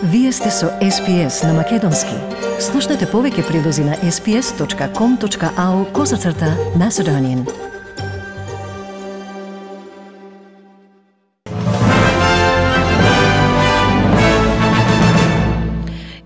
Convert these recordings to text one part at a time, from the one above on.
Вие сте со SPS на Македонски. Слушнете повеќе прилози на sps.com.au/Macedonian.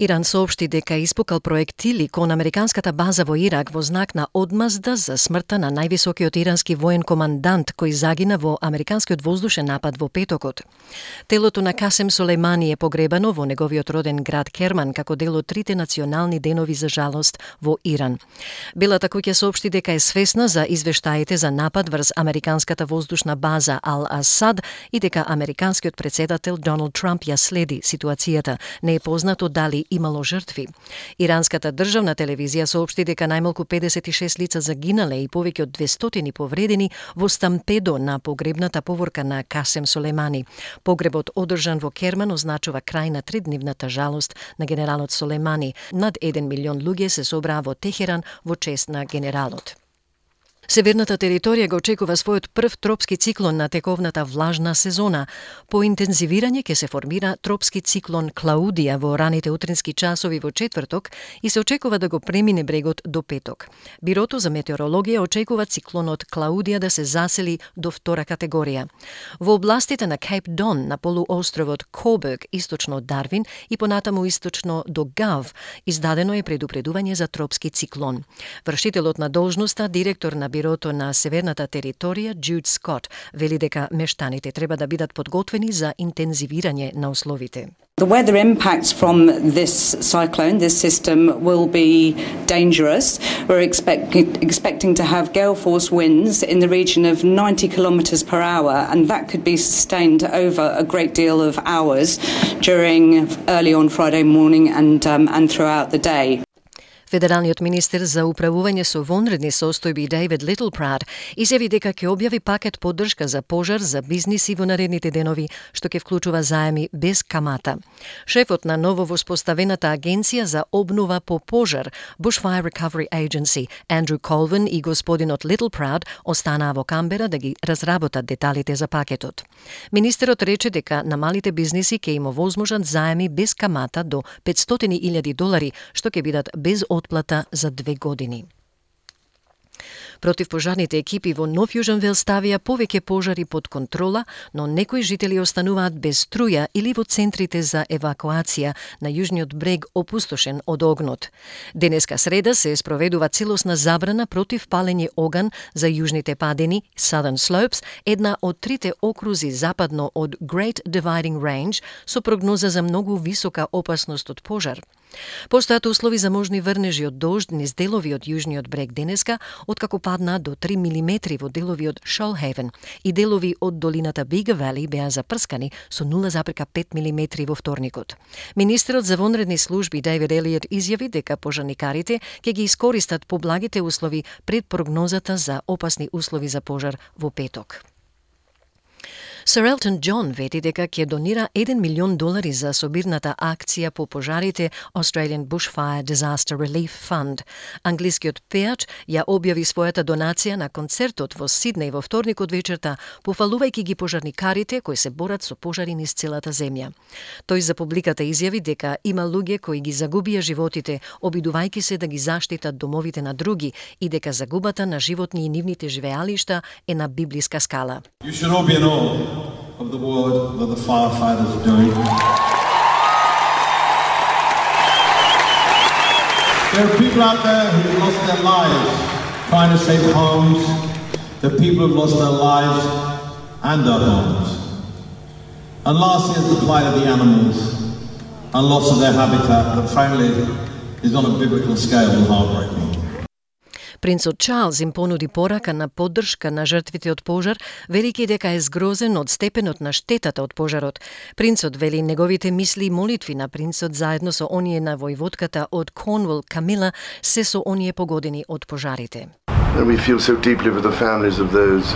Иран соопшти дека испукал проектили кон американската база во Ирак во знак на одмазда за смртта на највисокиот ирански воен командант кој загина во американскиот воздушен напад во петокот. Телото на Касем Солеймани е погребано во неговиот роден град Керман како дел од трите национални денови за жалост во Иран. Белата куќа соопшти дека е свесна за извештаите за напад врз американската воздушна база Ал-Асад и дека американскиот претседател Доналд Трамп ја следи ситуацијата. Не е познато дали имало жртви. Иранската државна телевизија соопшти дека најмалку 56 лица загинале и повеќе од 200 повредени во стампедо на погребната поворка на Касем Солеймани. Погребот одржан во Керман означува крај на тридневната жалост на генералот Солеймани. Над 1 милион луѓе се собраа во Техеран во чест на генералот. Северната територија го очекува својот прв тропски циклон на тековната влажна сезона. По интензивирање ќе се формира тропски циклон Клаудија во раните утрински часови во четврток и се очекува да го премине брегот до петок. Бирото за метеорологија очекува циклонот Клаудија да се засели до втора категорија. Во областите на Кейп Дон, на полуостровот Коберг, источно од Дарвин и понатаму источно до Гав, издадено е предупредување за тропски циклон. Вршителот на должноста, директор на Бирото на Северната територија, Джуд Скот, вели дека мештаните треба да бидат подготвени за интензивирање на условите. The weather impacts from this cyclone, this system, will be dangerous. We're expecting to have gale force winds in the region of 90 kilometres per hour, and that could be sustained over a great deal of hours during early on Friday morning and throughout the day. Федералниот министер за управување со вонредни состојби Дейвид Литлпрад изјави дека ќе објави пакет поддршка за пожар за бизниси во наредните денови, што ќе вклучува заеми без камата. Шефот на ново воспоставената агенција за обнова по пожар, Bushfire Recovery Agency, Андрю Колвин и господинот Литлпрад останаа во Камбера да ги разработат деталите за пакетот. Министерот рече дека на малите бизниси ќе им овозможат заеми без камата до $500,000, што ќе бидат без отплата за 2 години. Противпожарните екипи во Нов Јужен Велс ставија повеќе пожари под контрола, но некои жители остануваат без струја или во центрите за евакуација на јужниот брег опустошен од огнот. Денеска среда се спроведува целосна забрана против палење оган за јужните падини, Southern Slopes, една од трите окрузи западно од Great Dividing Range, со прогноза за многу висока опасност од пожар. Постојат услови за можни врнежи од дожд низ делови од јужниот брег денеска, откако падна до 3 милиметри во делови од Shoalhaven и делови од долината Big Valley беа запрскани со 0,5 милиметри во вторникот. Министерот за вонредни служби Дейвид Елиот изјави дека пожарникарите ќе ги искористат поблагите услови пред прогнозата за опасни услови за пожар во петок. Сир Елтон Џон вети дека ќе донира $1 милион за собирната акција по пожарите Australian Bushfire Disaster Relief Fund. Англискиот пеач ја објави својата донација на концертот во Сиднеј во вторникот вечерта, пофалувајќи ги пожарникарите кои се борат со пожари низ целата земја. Тој за публиката изјави дека има луѓе кои ги загубија животите, обидувајќи се да ги заштитат домовите на други и дека загубата на животни и нивните живеалишта е на библиска скала. You should all be in awe of the work that the firefighters are doing. There are people out there who have lost their lives trying to save homes. There are people who have lost their lives and their homes. And lastly is the plight of the animals and loss of their habitat that frankly is on a biblical scale and heartbreaking. Принцот Чарлз им понуди порака на поддршка на жртвите од пожар, велики дека е згрозен од степенот на штетата од пожарот. Принцот вели неговите мисли и молитви на принцот заедно со оние на војводката од Корнуол Камила се со оние погодени од пожарите. And we feel so deeply with the families of those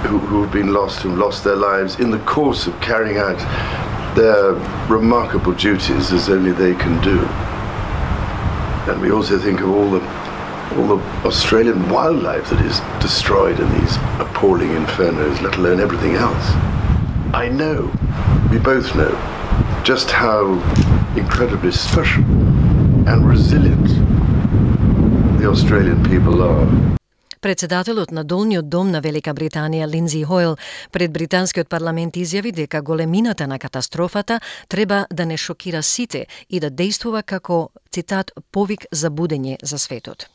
who have been lost, who lost their lives in the course of carrying out their remarkable duties as only they can do. And we also think of all the Australian wildlife that is destroyed in these appalling infernos, let alone everything else. I know, we both know, just how incredibly special and resilient the Australian people are. Председателот на Долниот дом на Велика Британија Линдзи Хойл пред британскиот парламент изјави дека големината на катастрофата треба да не шокира сите и да действува како, цитат, повик за будење за светот.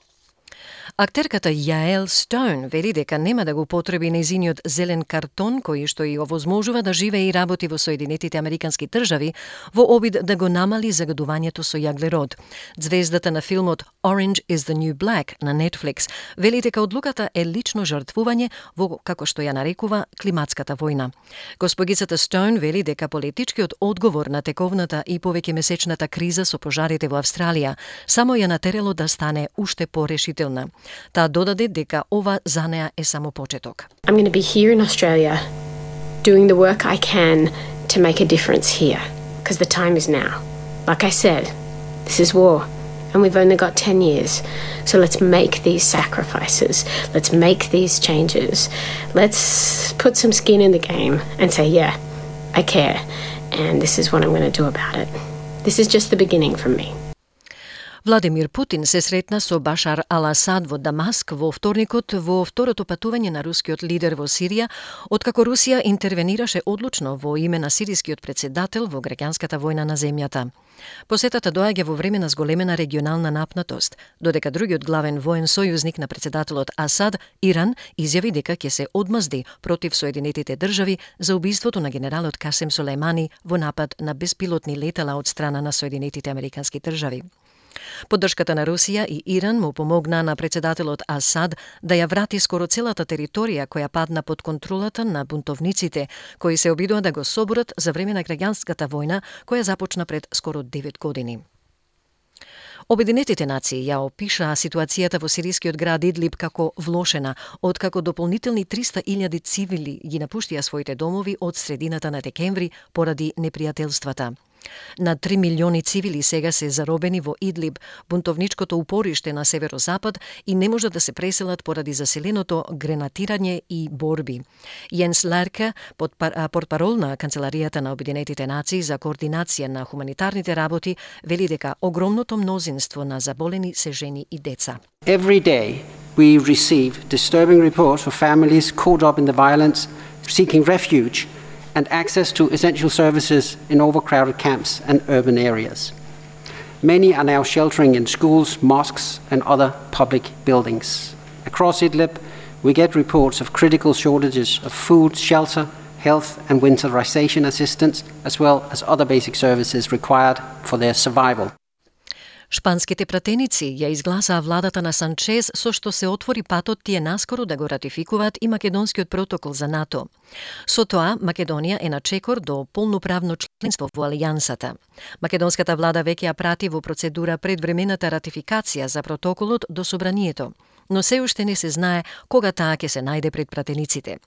Актерката Яел Стоун вели дека нема да го потреби нејзиниот зелен картон кој што и овозможува да живее и работи во Соединетите Американски држави во обид да го намали загадувањето со јаглерод. Звездата на филмот Orange is the New Black на Netflix вели дека одлуката е лично жртвување во, како што ја нарекува, климатската војна. Госпогицата Стоун вели дека политичкиот одговор на тековната и повеќе месечната криза со пожарите во Австралија само ја натерало да стане уште порешителна. Таа додаде дека ова за неа е само почеток. I'm going to be here in Australia doing the work I can to make a difference here because the time is now. Like I said, this is war and we've only got 10 years. So let's make these sacrifices. Let's make these changes. Let's put some skin in the game and say, yeah, I care and this is what I'm going to do about it. This is just the beginning for me. Владимир Путин се сретна со Башар ал-Асад во Дамаск во вторникот во второто патување на рускиот лидер во Сирија, откако Русија интервенираше одлучно во име на сирискиот председател во граѓанската војна на земјата. Посетата доаѓа во време на зголемена регионална напнатост, додека другиот главен воен сојузник на председателот Асад, Иран, изјави дека ќе се одмазди против Соединетите држави за убиството на генералот Касем Сулејмани во напад на беспилотни летала од страна на Соединетите Американски држави. Поддршката на Русија и Иран му помогна на председателот Асад да ја врати скоро целата територија која падна под контролата на бунтовниците, кои се обидува да го соборат за време на граѓанската војна која започна пред скоро 9 години. Обединетите нации ја опишаа ситуацијата во сирискиот град Идлиб како влошена, откако дополнителни 300.000 цивили ги напуштија своите домови од средината на декември поради непријателствата. На 3 милиони цивили сега се заробени во Идлиб, бунтовничкото упориште на северозапад, и не можат да се преселат поради заселеното гренатирање и борби. Јенс Лерке, портпарол на Канцеларијата на Обединетите нации за координација на хуманитарните работи, вели дека огромното мнозинство на заболени се жени и деца. Every day we receive disturbing reports for families caught up in the violence, seeking refuge and access to essential services in overcrowded camps and urban areas. Many are now sheltering in schools, mosques, and other public buildings. Across Idlib, we get reports of critical shortages of food, shelter, health, and winterization assistance, as well as other basic services required for their survival. Шпанските пратеници ја изгласаа владата на Санчез со што се отвори патот тие наскоро да го ратификуваат и македонскиот протокол за НАТО. Со тоа, Македонија е на чекор до полноправно членство во Алијансата. Македонската влада веќе ја прати во процедура предвремената ратификација за протоколот до собранието, но се уште не се знае кога таа ќе се најде пред пратениците.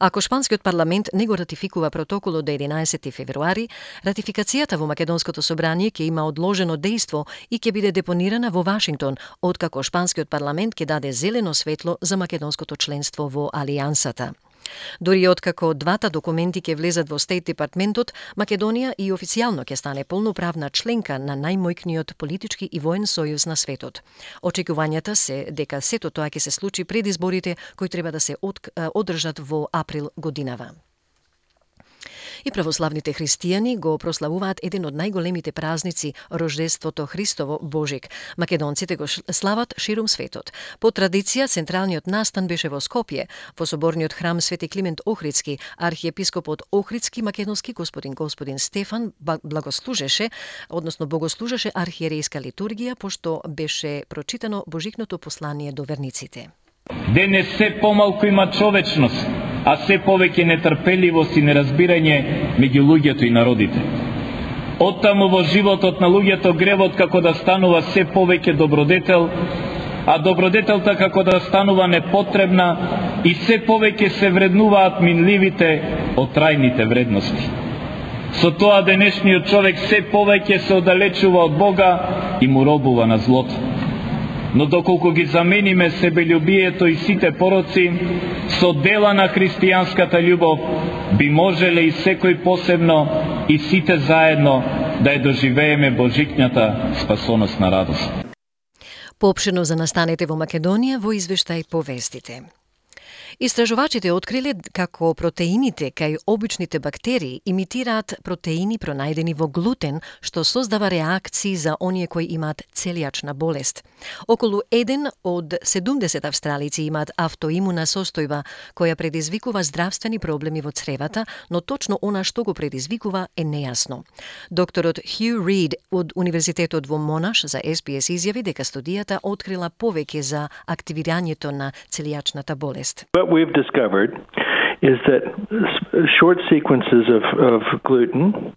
Ако шпанскиот парламент не го ратификува протоколот до 11 февруари, ратификацијата во Македонското собрание ќе има одложено дејство и ќе биде депонирана во Вашингтон, откако шпанскиот парламент ќе даде зелено светло за македонското членство во Алијансата. Дори откако двата документи ќе влезат во Стейт департментот, Македонија и официјално ќе стане полноправна членка на најмојкниот политички и воен сојуз на светот. Очекувањата се дека сето тоа ќе се случи пред изборите кои треба да се одржат во април годинава. И православните христијани го прославуваат еден од најголемите празници, Рождеството Христово, Божик. Македонците го слават ширум светот. По традиција, централниот настан беше во Скопје, во соборниот храм Свети Климент Охридски. Архиепископот Охридски македонски господин Стефан богослужеше архиерејска литургија, пошто беше прочитано Божикното послание до верниците. Денес се помалку има човечност, а се повеќе нетрпеливост и неразбирање меѓу луѓето и народите. Оттаму во животот на луѓето гревот како да станува се повеќе добродетел, а добродетелта како да станува непотребна и се повеќе се вреднуваат минливите од трајните вредности. Со тоа денешниот човек се повеќе се оддалечува од Бога и му робува на злото. Но доколку ги замениме себелюбието и сите пороци со дела на христијанската љубов, би можеле и секој посебно и сите заедно да ја доживееме божикњата спасоносна радост. Поопширно за настаните во Македонија во извештај по вестите. Истражувачите откриле како протеините кај обичните бактерии имитираат протеини пронајдени во глутен, што создава реакции за оние кои имаат целијачна болест. Околу 1 од 70 австралици имаат автоимуна состојба која предизвикува здравствени проблеми во цревата, но точно она што го предизвикува е нејасно. Докторот Хју Рид од Универзитетот во Монаш за SBS изјави дека студијата открила повеќе за активирањето на целијачната болест. What we've discovered is that short sequences of gluten,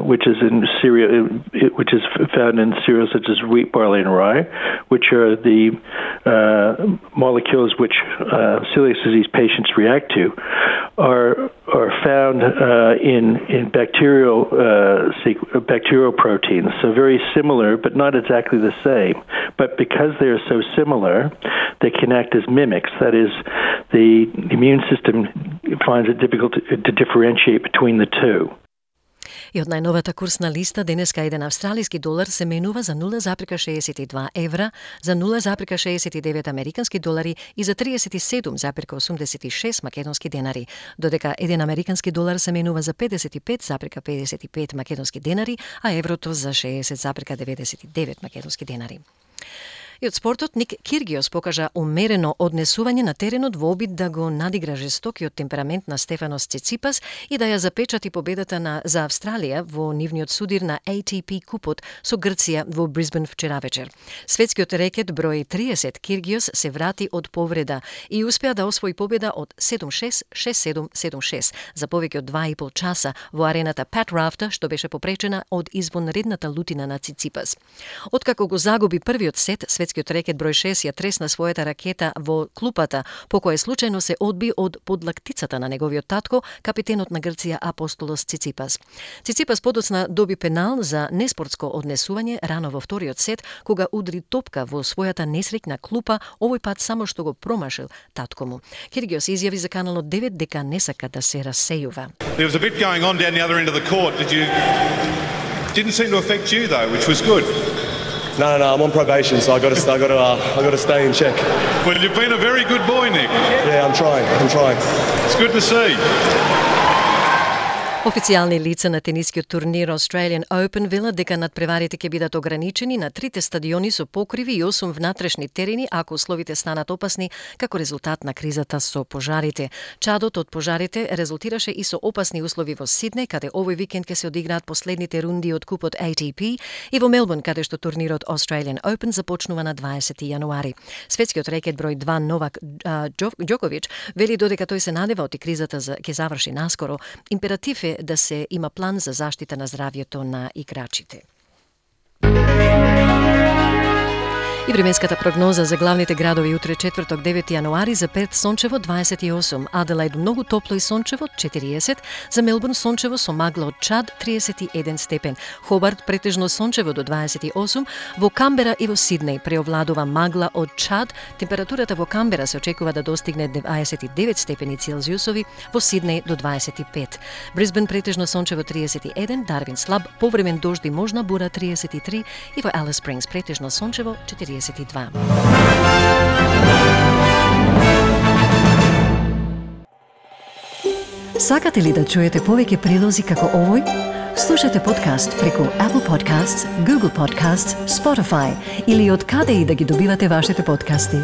which is in cereal, which is found in cereals such as wheat, barley, and rye, which are the molecules which celiac disease patients react to, are found in bacterial proteins. So very similar, but not exactly the same. But because they are so similar, they can act as mimics. That is, the immune system finds it difficult to differentiate between the two. И од најновата курсна листа денеска еден австралиски долар се менува за 0,62 евра, за 0,69 американски долари и за 37,86 македонски денари, додека еден американски долар се менува за 55,55 македонски денари, а еврото за 60,99 македонски денари. И од спортот Ник Киргиос покажа умерено однесување на теренот во обид да го надигра жестокиот темперамент на Стефанос Циципас и да ја запечати победата за Австралија во нивниот судир на ATP купот со Грција во Брисбен вчера вечер. Светскиот рекет број 30 Киргиос се врати од повреда и успеа да освои победа од 7-6, 6-7, 7-6 за повеќе од 2,5 часа во арената Пат Рафта, што беше попречена од извонредната лутина на Циципас. Откако го загуби првиот сет, светскиот рекет број 6 ја тресна својата ракета во клупата, по која случајно се одби од подлактицата на неговиот татко, капитенот на Грција Апостолос Циципас. Циципас подоцна доби пенал за неспортско однесување рано во вториот сет, кога удри топка во својата несреќна клупа, овој пат само што го промашил татко му. Киргиос изјави за каналот 9 дека не сака да се рассејува. There was a bit going on down the other end of the court. Didn't seem to affect you though, which was good. No, I'm on probation, so I got to stay in check. Well, you've been a very good boy, Nick. Yeah, I'm trying. It's good to see. Официјални лица на тенискиот турнир Australian Open велат дека надпреварите ќе бидат ограничени на 3 стадиони со покриви и 8 внатрешни терени ако условите станат опасни како резултат на кризата со пожарите. Чадот од пожарите резултираше и со опасни услови во Сиднеј, каде овој викенд ќе се одиграат последните рунди од купот ATP, и во Мелбурн, каде што турнирот Australian Open започнува на 20 јануари. Светскиот рекет број 2 Новак Џоковиќ вели додека тој се надева од кризата ќе заврши наскоро, императив е да се има план за заштита на здравјето на играчите. И временската прогноза за главните градови утре четврток 9 јануари: за Перт сончево 28, Аделаид многу топло и сончево 40, за Мелбурн сончево со магла од чад 31 степен, Хобарт претежно сончево до 28, во Камбера и во Сиднеј преовладува магла од чад, температурата во Камбера се очекува да достигне 29 степени Целзиусови, во Сиднеј до 25. Брисбен претежно сончево 31, Дарвин слаб повремен дожд и можна бура 33 и во Алис Спрингс претежно сончево 42. Сакате ли да чуете повеќе прилози како овој? Слушате подкаст преку Apple Podcasts, Google Podcasts, Spotify или од каде и да ги добивате вашите подкасти.